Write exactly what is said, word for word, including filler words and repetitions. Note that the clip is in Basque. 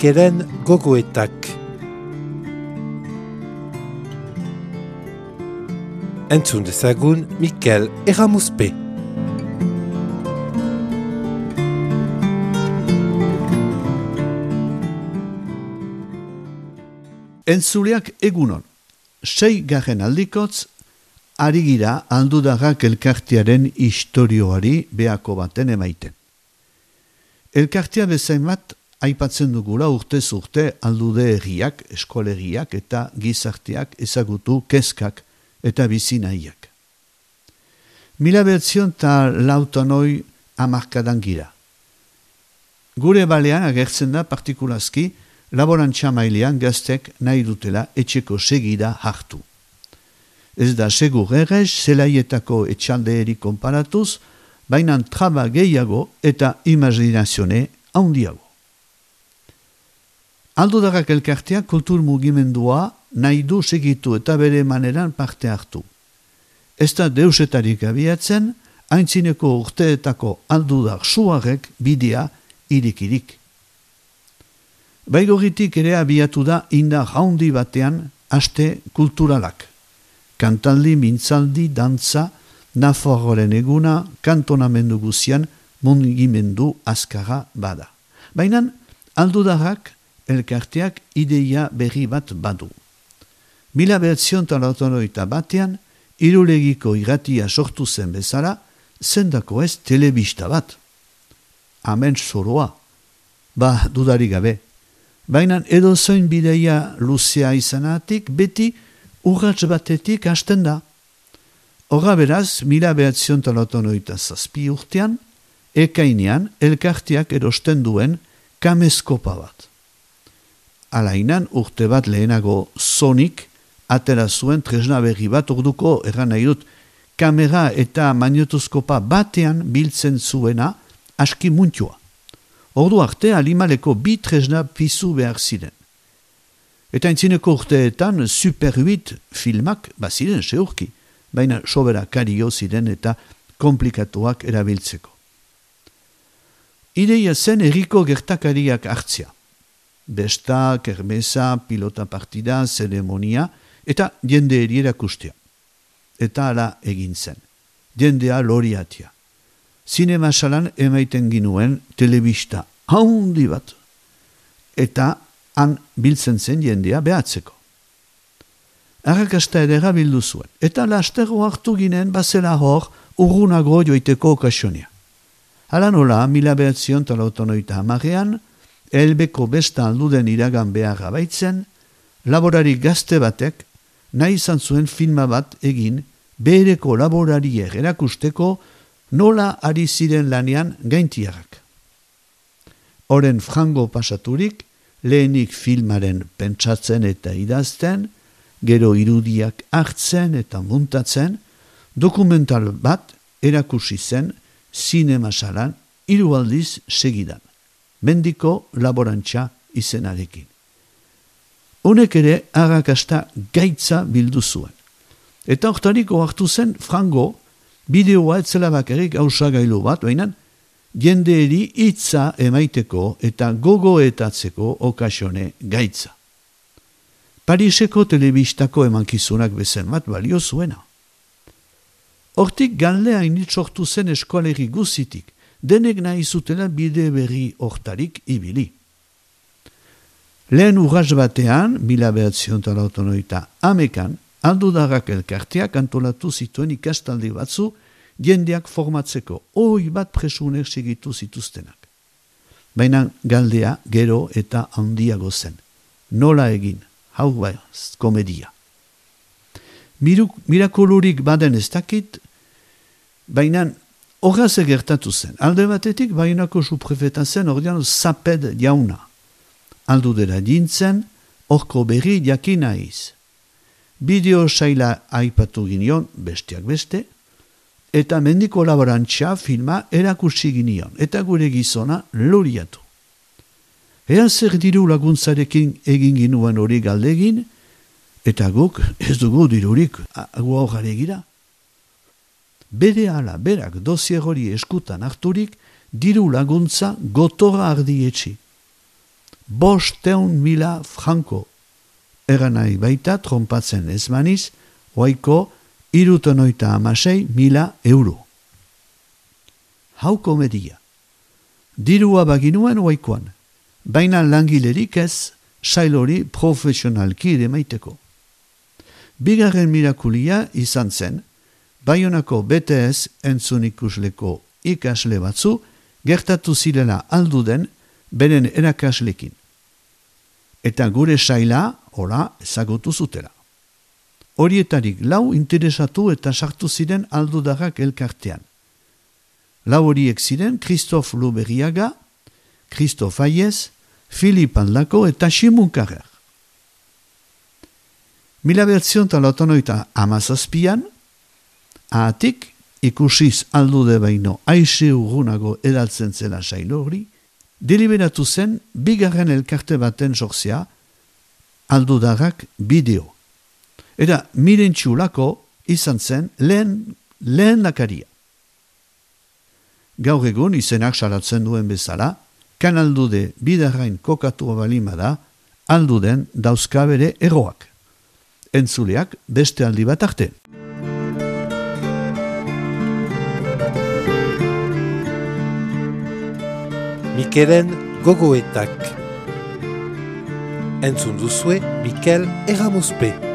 Mikelen gogoetak. Entzun dezagun Mikel Erramuzpe. Entzuleak egunon, sei garen aldikotz, ari gira Aldudagak elkartearen istorioari behako baten emaiten. Elkartea bezain bat aipatzen dugula urtez urte aldude erriak, eskolegiak eta gizarteak ezagutu kezkak eta bizinaiak. Mila behatzion eta lautanoi hamarkadan gira. Gure balean agertzen da partikulazki laborantza mailean gaztek nahi dutela etxeko segida hartu. Ez da segur errez zelaietako etxaldeeri konparatuz, baina traba gehiago eta imaginazione handiago. Aldudagak elkartea kultur mugimendua nahi du segitu eta bere maneran parte hartu. Ez da deusetarik abiatzen, haintzineko urteetako aldudak suarek bidea irikirik. Baigorritik ere abiatu da indar handi batean aste kulturalak. Kantaldi, mintzaldi, dantza, Nafarroaren eguna, kantonamendu guzian mugimendu azkarra bada. Baina aldudarrak elkarteak ideia berri bat badu. Mila behatzion talatonoita batean, irulegiko irratia sortu zen bezala, zendako ez telebista bat. Amen zoroa. Ba, dudari gabe. Baina edo zoin bideia luzea izanatik, beti urratz batetik hasten da. Horra beraz, mila behatzion talatonoita zazpi urtean, ekainean elkarteak erosten duen kameskopa bat. Alainan urte bat lehenago zonik atera zuen tresna berri bat orduko erran nahi dut kamera eta magnetoskopa batean biltzen zuena aski muntua. Ordu arte alimaleko bi tresna pizu behar ziren. Eta entzineko urteetan Super huit filmak baziren seurki, baina sobera kario ziren eta komplikatuak erabiltzeko. Ideia zen herriko gertakariak hartzea. Besta, kermesa, pilota partida, zeremonia eta jende erakustea. Eta ala egin zen. Jendea loriatia. Zinema salan emaiten ginuen telebista haundi bat. Eta han biltzen zen jendea behatzeko. Arrakasta edera bildu zuen. Eta lastero hartu ginen bazela hor urrunago joiteko okasionia. Hala nola, mila behatzion talautonoita hamarean, elbeko besta alduden iragan beharra baitzen, laborari gazte batek nahi izan zuen filma bat egin bereko laborariek erakusteko nola ari ziren lanean gaintiarrak. Horen frango pasaturik, lehenik filmaren pentsatzen eta idazten, gero irudiak hartzen eta muntatzen, dokumental bat erakusi zen zinema salan hiru aldiz segidan. Mendiko laborantza izenarekin. Honek ere arrakasta gaitza bildu zuen. Eta hortariko hartu zen frango bideoa etzela bakarrik hausagailu bat, baina jendeeri hitza emaiteko eta gogoetatzeko okasione gaitza. Pariseko telebistako emankizunak bezen bat balio zuena. Hortik galdea init sortu zen eskoleri guzitik, denek nahi zutela bide berri hortarik ibili. Lehen urraz batean, mila behatzion talautonoita amekan, aldudarrak elkarteak antolatu zituen ikastaldi batzu jendeak formatzeko, oi bat presunek segitu zituztenak. Baina galdea gero eta handiago zen. Nola egin? Hau baiz, komedia. Miruk, mirakulurik baden ez dakit, baina horraz egertatu zen. Alde batetik, bainako suprefeta zen, ordean zaped jauna. Aldudera dintzen, horko berri jakina iz. Bideo saila aipatu ginion, bestiak beste, eta mendiko laborantza filma erakusi ginion, eta gure gizona loriatu. Ea zer diru laguntzarekin egin ginuen hori galdegin, eta guk ez dugu dirurik agua hogare gira. Bere ala berak dozier hori eskutan harturik, diru laguntza gotora ardietxi. bosteun mila franko. Eran nahi baita trompatzen ez maniz, oaiko irutonoita amasei mila euro. Hau komedia. Dirua baginuen oaikoan, baina langilerik ez sailori profesionalki ere maiteko. Bigarren mirakulia izan zen, Baionako B T S entzun ikusleko ikasle batzu gertatu zirela alduden beren erakaslekin. Eta gure saila, ora, ezagutu zutela. Horietarik lau interesatu eta sartu ziren aldudarrak elkartean. Lau horiek ziren Christophe Luberiaga, Christophe Aiez, Philippe Andlako eta Simon Carrer. Mila bertzion talatonoita amazazpian, ahatik ikusiz aldude baino aixe urgunago edaltzen zela sailo hori, deliberatu zen bigarren elkarte baten sortzea aldudarrak bideo. Eta miren txulako izan zen lehen, lehen lakaria. Gaur egun izenak salatzen duen bezala, kan aldude bidarrain kokatu balima da, alduden dauzkabere eroak. Entzuleak beste aldi bat arte. Mikelen gogoetak. Entzun duzue Mikel Erramuzpe.